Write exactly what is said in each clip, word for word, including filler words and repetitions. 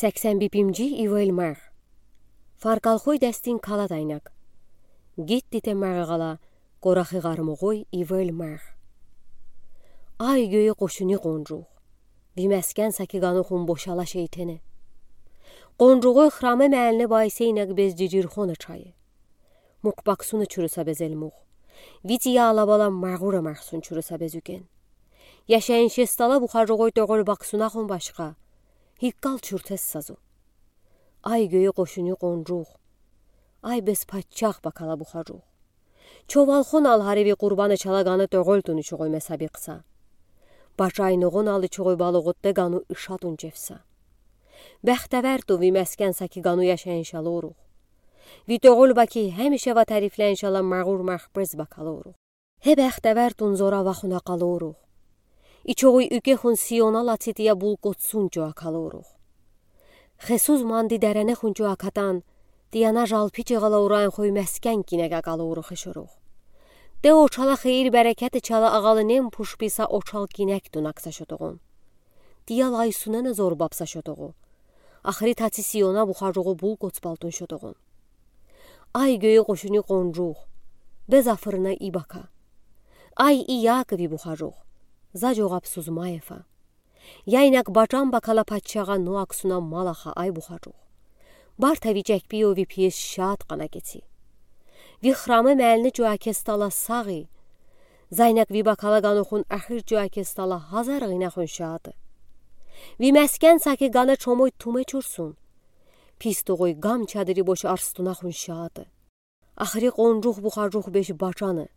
Сексен бипимжи ивел марх. Фаркалхой дастин калад айнак. Гидтите марғала, корахи ğармоғой ивел марх. Ай гёйи къошуни къонжух. Ви маскан саки ганухун бошала шейтене. Къонжуғой храме мяльне байсенек бес жижирхон ачайы. Мук баксуна чурыса безел мух. Вити яла бала мағура мархсун чурыса безуген. Яшайын шестала бухажуғой тёгол баксунахун башха. Хиккал чуртес сазу. Ай гёйи къошуни къонжух. Ай бес патчах бакала бухажух. Човалхон ал хариви Къурбаны чала ганы тёгол тунучуғой месабиқса. Бачай ноғон алычуғой балоғутте гану ишатун чевса. Бахтавар ту ви маскан саки гану яшайын шалорух. Ви тёгол баки хемише ва тарифляншала мағур марх бес бакалорух. Хе бахтавар тун зора вахуна къалорух. Ичоғуй уьке хун Сиона лаци тия булкотсун чоа калорух. Хесуз манди даранехун чоа катан, тияна жалпи чеғала уран хой маскан кинега калорух ишорух. Те очала хейир берекети чала ағалынем пушписа очал кинек тунакса шотоғун. Тиял айсунена зор бапса шотоғу. Ахри таци Сиона бухажуғу булкотс балтун шотоғун. Ай гёйи къошуни къонжух. Бес афырына и бака. Ай и Якови бухажух. За жоғапсуз майефа. Яйнак бачан бакала патчаға нуаксуна малаха ай бухажух. Барта ви чекпи ови пиес шат къана кеци. Ви храме мяльне чоа кестала сағи. Зайнак ви бакала ганухун ахир чоа кестала хазар гинахун шаты. Ви маскан саки гана чомой туме чурсун. Пис тоғой гам чадыри бош арстунахун шаты. Ахри къонжух бухажух беш бачаны.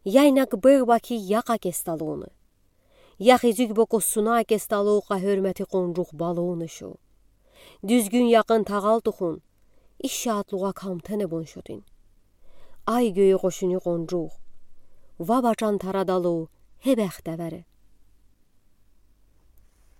Яйнак бер баки яқа кесталуны. Яхи зюк бокосуна кесталу қа хёрмети къонжух балуны шу. Дюзгюн яқын тағал тухун. Иш шатлуға камтене бон шотин. Ай гёйи къошуни къонжух. Ва бачан тарадалу хе бахтавари.